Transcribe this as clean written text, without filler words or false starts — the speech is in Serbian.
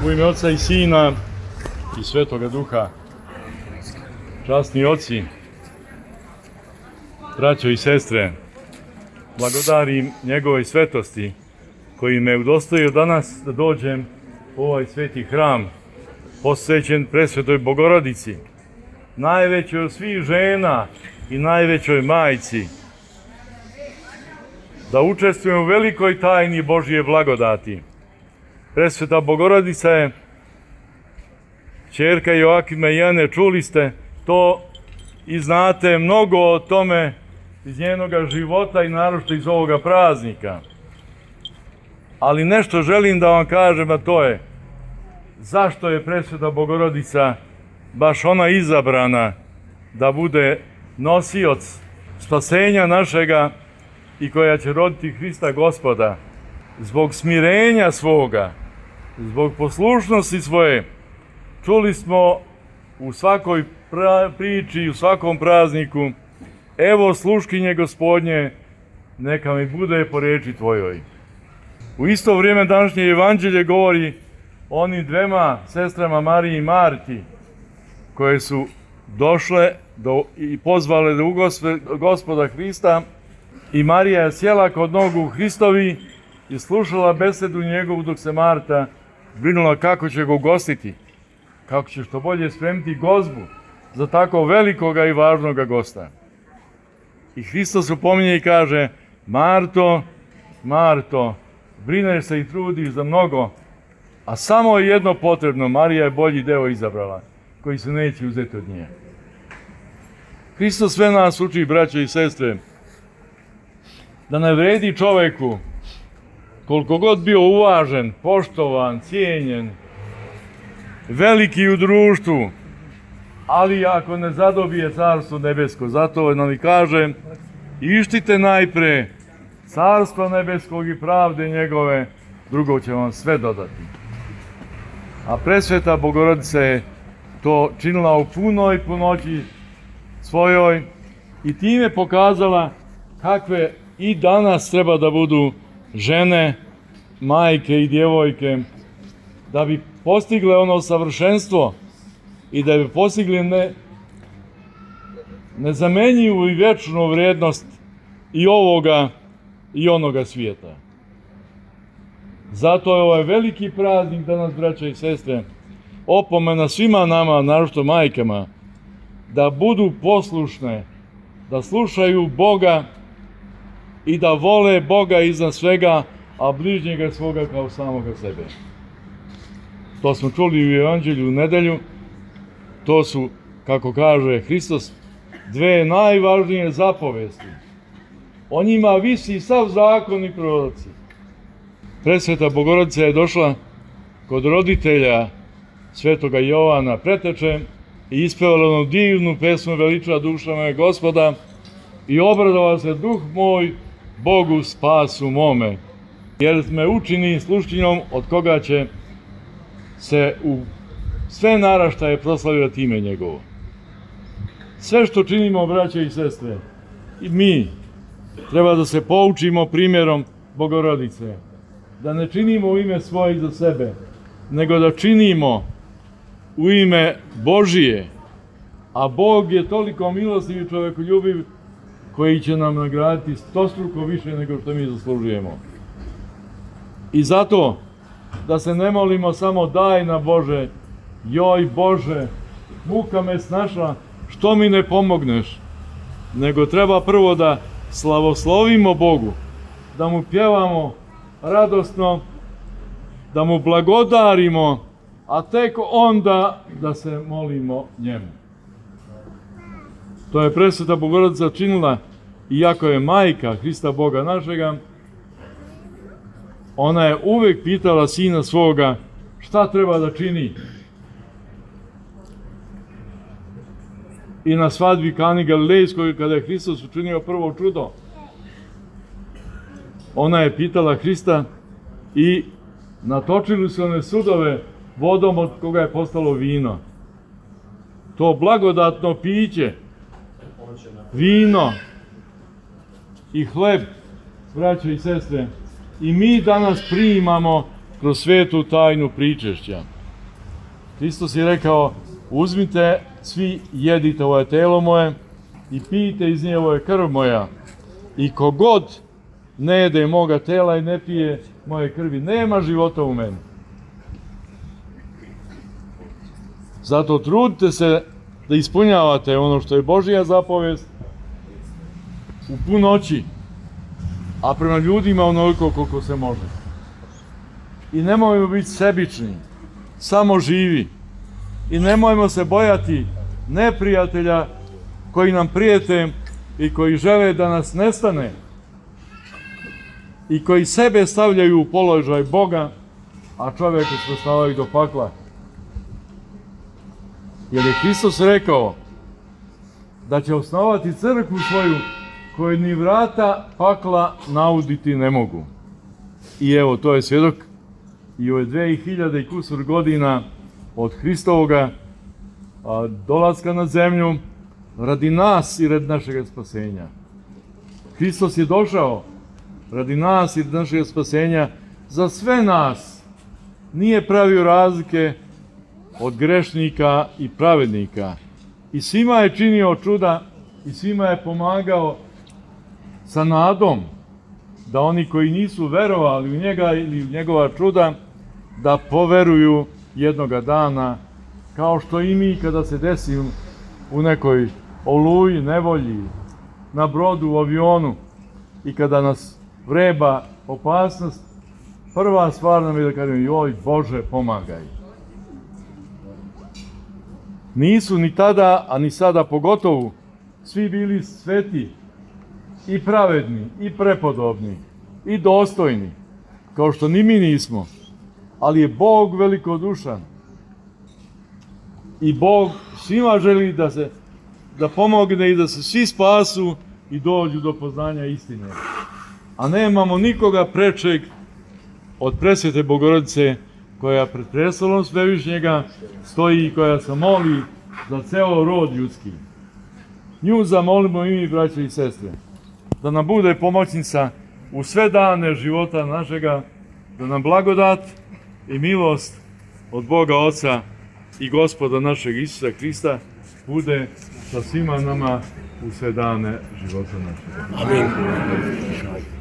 U ime Oca i Sina i Svetoga Duha, časni oci, braćo i sestre, blagodarim njegove svetosti koji me udostojio danas da dođem u ovaj sveti hram posvećen presvetoj Bogorodici, najvećoj od svih žena i najvećoj majci, da učestvujem u velikoj tajni Božje blagodati. Presveta Bogorodica je ćerka Joakima i Ane, čuli ste to i znate mnogo o tome iz njenoga života i naročito iz ovoga praznika. Ali nešto želim da vam kažem, a to je zašto je presveta Bogorodica baš ona izabrana da bude nosioc spasenja našega i koja će roditi Hrista Gospoda. Zbog smirenja svoga, zbog poslušnosti svoje, čuli smo u svakoj priči i u svakom prazniku: evo sluškinje Gospodnje, neka mi bude po riječi tvojoj. U isto vrijeme današnje evanđelje govori o onim dvema sestrama Mariji i Marti, koje su došle i pozvale da ugospe Gospoda Hrista, i Marija je sjela kod nogu Hristovi i slušala besedu njegovu, dok se Marta brinula kako će ga ugostiti, kako će što bolje spremiti gozbu za tako velikoga i važnoga gosta. I Hristos upominje i kaže: Marto, Marto, brineš se i trudiš za mnogo, a samo je jedno potrebno, Marija je bolji deo izabrala, koji se neće uzeti od nje. Hristos sve nas uči, braćo i sestre, da ne vredi čoveku, koliko god bio uvažen, poštovan, cijenjen, veliki u društvu, ali ako ne zadobije Carstvo nebesko. Zato nam i kaže: ištite najpre Carstva nebeskog i pravde njegove, drugo će vam sve dodati. A presveta Bogorodica je to činila u punoj punoći svojoj i time pokazala kakve i danas treba da budu žene, majke i djevojke, da bi postigle ono savršenstvo i da bi postigli nezamenjivu i vječnu vrijednost i ovoga i onoga svijeta. Zato je ovaj veliki praznik danas, braćo i sestre, opomena svima nama, naročito majkama, da budu poslušne, da slušaju Boga i da vole Boga iznad svega, a bližnjega svoga kao samoga sebe. To smo čuli u Evanđelju u nedelju. To su, kako kaže Hristos, dve najvažnije zapovesti. O njima visi sav zakon i proroci. Presveta Bogorodica je došla kod roditelja svetoga Jovana Preteče i ispevala onu divnu pesmu: veliča duša moja Gospoda i obradova se duh moj Bogu spasu mome, jer me učini sluškinjom od koga će se u sve naraštaje proslavljati ime njegovo. Sve što činimo, braće i sestre, i mi treba da se poučimo primjerom Bogorodice, da ne činimo u ime svoje i za sebe, nego da činimo u ime Božije, a Bog je toliko milostiv i čovekoljubiv koji će nam nagraditi stostruko više nego što mi zaslužujemo. I zato da se ne molimo samo: daj na Bože, joj Bože, muka me snašla, što mi ne pomogneš, nego treba prvo da slavoslovimo Bogu, da mu pjevamo radosno, da mu blagodarimo, a tek onda da se molimo njemu. To je presveta Bogorodica činila, iako je majka Hrista Boga našega. Ona je uvek pitala sina svoga šta treba da čini. I na svadbi Kani Galilejskoj, kada je Hristos učinio prvo čudo, ona je pitala Hrista i natočili su one sudove vodom od koga je postalo vino. To blagodatno piće, vino i hleb, braćo i sestre, i mi danas primamo kroz svetu tajnu pričešća. Hristos je rekao, uzmite svi, jedite, ovo je telo moje i pijte iz nje, ovo je krv moja. I kogod ne jede moga tela i ne pije moje krvi, nema života u meni. Zato trudite se da ispunjavate ono što je Božja zapovest u punoći, a prema ljudima onoliko koliko se može. I nemojmo biti sebični, samo živi. I nemojmo se bojati neprijatelja koji nam prijete i koji žele da nas nestane i koji sebe stavljaju u položaj Boga, a čovjeka svrstavaju do pakla. Jer je Hristos rekao da će osnovati crkvu svoju koju ni vrata pakla nauditi ne mogu. I evo, to je svjedok i ove 2000 i kusur godina od Hristovoga dolaska na zemlju radi nas i radi našeg spasenja. Hristos je došao radi nas i radi našeg spasenja za sve nas. Nije pravio razlike od grešnika i pravednika. I svima je činio čuda i svima je pomagao sa nadom da oni koji nisu verovali u njega ili u njegova čuda, da poveruju jednoga dana, kao što i mi kada se desi u nekoj oluji, nevolji, na brodu, u avionu i kada nas vreba opasnost, prva stvar nam je da kažem, joj Bože, pomagaj. Nisu ni tada, a ni sada pogotovo, svi bili sveti i pravedni, i prepodobni, i dostojni, kao što ni mi nismo. Ali je Bog velikodušan. I Bog svima želi da pomogne i da se svi spasu i dođu do poznanja istine. A nemamo nikoga prečeg od presvete Bogorodice, koja pred prestolom Svevišnjega stoji i koja se moli za ceo rod ljudski. Nju zamolimo i mi, braće i sestre, da nam bude pomoćnica u sve dane života našega, da nam blagodat i milost od Boga Oca i Gospoda našeg Isusa Hrista bude sa svima nama u sve dane života našega. Amin.